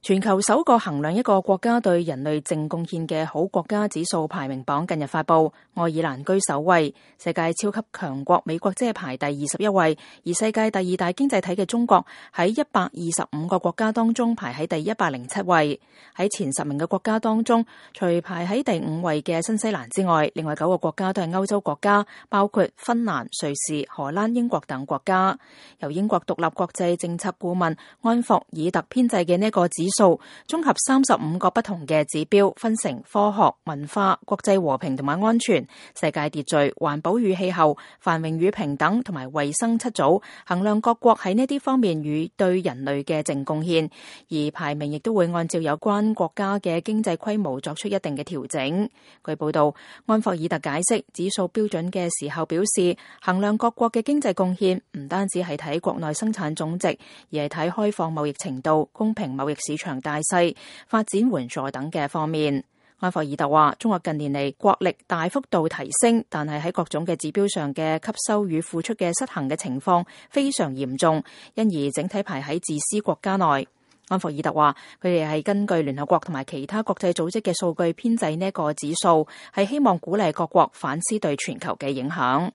全球首個衡量一個國家對人類淨貢獻嘅好國家指數排名榜近日發布，愛爾蘭居首位，世界超級強國美國即係排第21位，而世界第二大經濟體嘅中國喺125個國家當中排喺第107位。喺前10名嘅國家當中，除排喺第5位嘅新西蘭之外，另外9個國家都係歐洲國家，包括芬蘭、瑞士、荷蘭、英國等國家。由英國獨立國際政策顧問安霍爾特編製嘅呢個指數綜合35個不同嘅指標，分成科學、文化、國際和平同埋安全、世界秩序、環保與氣候、繁榮與平等同埋衛生7組，衡量各國喺呢啲方面與對人類嘅淨貢獻。而排名亦都會按照有關國家嘅經濟規模作出一定嘅調整。據報道，安霍爾特解釋指數標準嘅時候表示，衡量各國嘅經濟貢獻唔單止係睇國內生產總值，而係睇開放貿易程度、公平貿易市場大細、發展援助等嘅方面。安霍爾特話，中國近年嚟國力大幅度提升，但係喺各種嘅指標上嘅吸收與付出嘅失衡嘅情況非常嚴重，因而整體排喺自私國家內。安霍爾特話，佢哋係根據聯合國同埋其他國際組織嘅數據編製呢個指數，係希望鼓勵各國反思對全球嘅影響。